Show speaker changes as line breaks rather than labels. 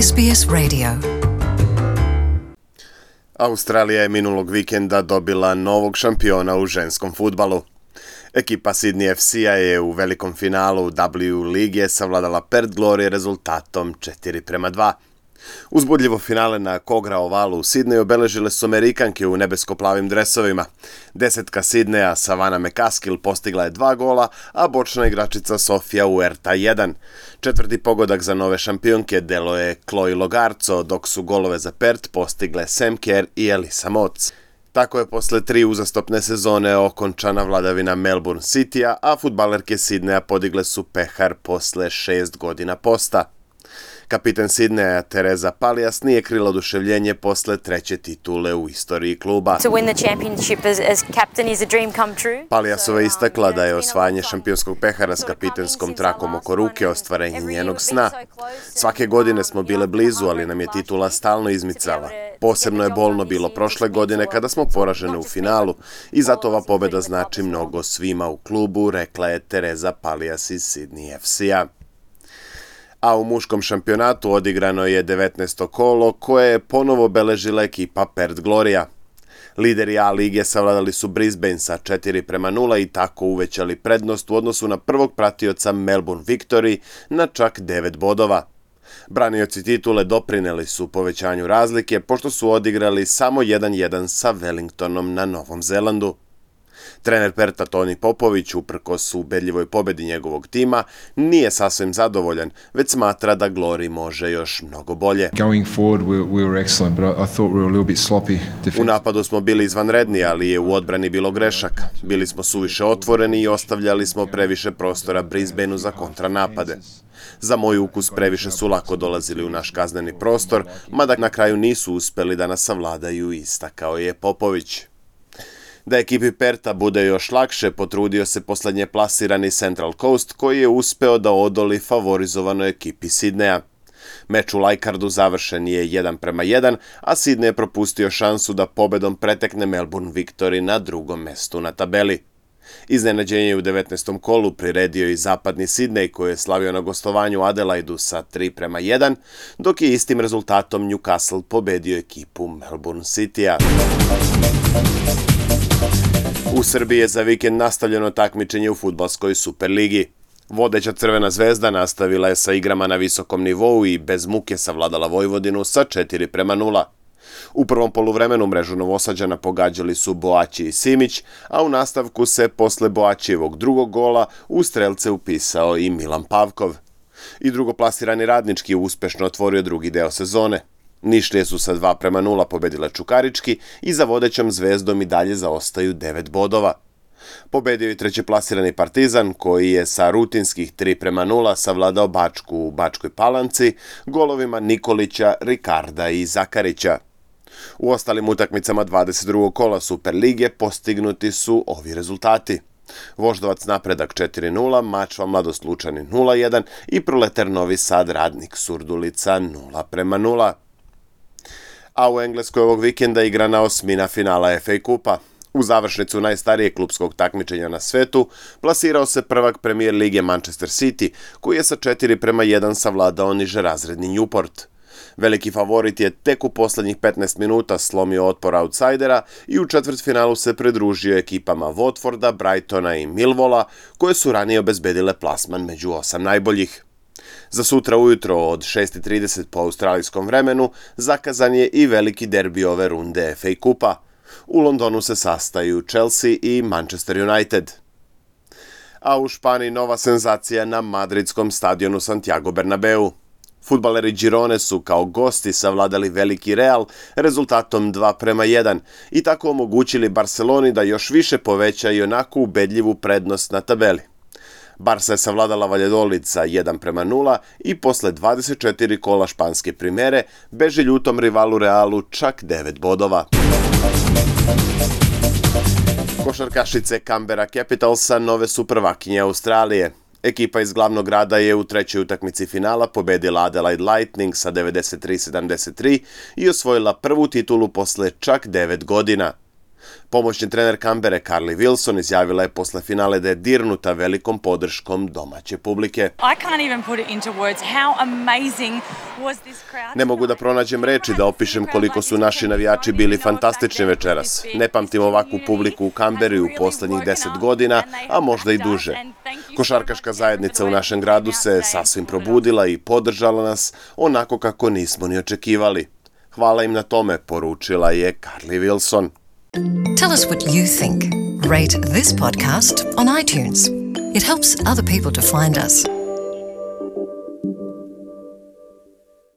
SBS Radio.
Australija je minulog vikenda dobila novog šampiona u ženskom fudbalu. Ekipa Sydney FC-a je u velikom finalu W lige savladala Perth Glory rezultatom 4:2. Uzbudljivo finale na Kogra ovalu u Sidneju obeležile su Amerikanke u nebesko-plavim dresovima. Desetka Sidneja Savannah McCaskill postigla je 2 gola, a bočna igračica Sofia Huerta 1. Četvrti pogodak za nove šampionke delo je Chloe Logarzo, dok su golove za Perth postigle Sam Kerr i Elisa Moc. Tako je posle 3 uzastopne sezone okončana vladavina Melbourne City-a, a fudbalerke Sidneja podigle su pehar posle 6 godina posta. Kapiten Sidneja Teresa Paljas nije krila oduševljenje posle treće titule u istoriji kluba. Paljasova je istakla da je osvajanje šampionskog pehara s kapitenskom trakom oko ruke ostvarenje njenog sna. Svake godine smo bile blizu, ali nam je titula stalno izmicala. Posebno je bolno bilo prošle godine kada smo poražene u finalu i zato ova pobeda znači mnogo svima u klubu, rekla je Teresa Paljas iz Sydney FC-a. A u muškom šampionatu odigrano je 19. kolo koje je ponovo obeležila ekipa Perth Glory. Lideri A lige savladali su Brisbane sa 4:0 i tako uvećali prednost u odnosu na prvog pratioca Melbourne Victory na čak 9 bodova. Branioci titule doprineli su povećanju razlike pošto su odigrali samo 1:1 sa Wellingtonom na Novom Zelandu. Trener Pertha Tony Popović, uprkos ubedljivoj pobedi njegovog tima, nije sasvim zadovoljan, već smatra da Glory može još mnogo bolje. U napadu smo bili izvanredni, ali je u odbrani bilo grešaka. Bili smo suviše otvoreni i ostavljali smo previše prostora Brisbaneu za kontranapade. Za moj ukus previše su lako dolazili u naš kazneni prostor, mada na kraju nisu uspeli da nas savladaju, istakao je Popović. Da ekipi Pertha bude još lakše, potrudio se poslednje plasirani Central Coast, koji je uspeo da odoli favorizovanoj ekipi Sidneja. Meč u Leichhardu završen je 1:1, a Sydney je propustio šansu da pobedom pretekne Melbourne Victory na drugom mestu na tabeli. Iznenađenje je u 19. kolu priredio i zapadni Sydney, koji je slavio na gostovanju u Adelaidu sa 3:1, dok je istim rezultatom Newcastle pobedio ekipu Melbourne City-a. U Srbiji je za vikend nastavljeno takmičenje u fudbalskoj Superligi. Vodeća Crvena zvezda nastavila je sa igrama na visokom nivou i bez muke savladala Vojvodinu sa 4:0. U prvom poluvremenu mrežu Novosađana pogađali su Boaći i Simić, a u nastavku se posle Boaćijevog drugog gola u strelce upisao i Milan Pavkov. I drugoplasirani Radnički uspešno otvorio drugi deo sezone. Nišlije su sa 2:0 pobedile Čukarički i za vodećom Zvezdom i dalje zaostaju 9 bodova. Pobedio i trećeplasirani Partizan, koji je sa rutinskih 3:0 savladao Bačku u Bačkoj Palanci golovima Nikolića, Rikarda i Zakarića. U ostalim utakmicama 22. kola Superlige postignuti su ovi rezultati. Voždovac Napredak 4:0, Mačva Mladost Lučani 0:1 i Proletar Novi Sad Radnik Surdulica 0:0. A u Engleskoj ovog vikenda igrana osmina finala FA Kupa. U završnicu najstarijeg klupskog takmičenja na svetu plasirao se prvak Premier lige Manchester City, koji je sa 4:1 savladao nižerazredni Newport. Veliki favorit je tek u poslednjih 15 minuta slomio otpor outsidera i u četvrtfinalu se pridružio ekipama Watforda, Brightona i Millwalla, koje su ranije obezbedile plasman među 8 najboljih. Za sutra ujutro od 6:30 po australijskom vremenu zakazan je i veliki derbi ove runde FA Kupa. U Londonu se sastaju Chelsea i Manchester United. A u Španiji nova senzacija na madridskom stadionu Santiago Bernabeu. Fudbaleri Girone su kao gosti savladali veliki Real rezultatom 2:1 i tako omogućili Barceloni da još više poveća i onako ubedljivu prednost na tabeli. Barca je savladala Valladolid sa 1:0 i posle 24 kola španske primere beži ljutom rivalu Realu čak 9 bodova. Košarkašice Canberra Capitalsa nove su prvakinje Australije. Ekipa iz glavnog grada je u trećoj utakmici finala pobedila Adelaide Lightning sa 93-73 i osvojila prvu titulu posle čak 9 godina. Pomoćni trener Canberre Carly Wilson izjavila je posle finale da je dirnuta velikom podrškom domaće publike. Ne mogu da pronađem reči da opišem koliko su naši navijači bili fantastični večeras. Ne pamtim ovakvu publiku u Canberri u poslednjih 10 godina, a možda i duže. Košarkaška zajednica u našem gradu se sasvim probudila i podržala nas onako kako nismo ni očekivali. Hvala im na tome, poručila je Carly Wilson.
Tell us what you think. Rate this podcast on iTunes. It helps other people to find us.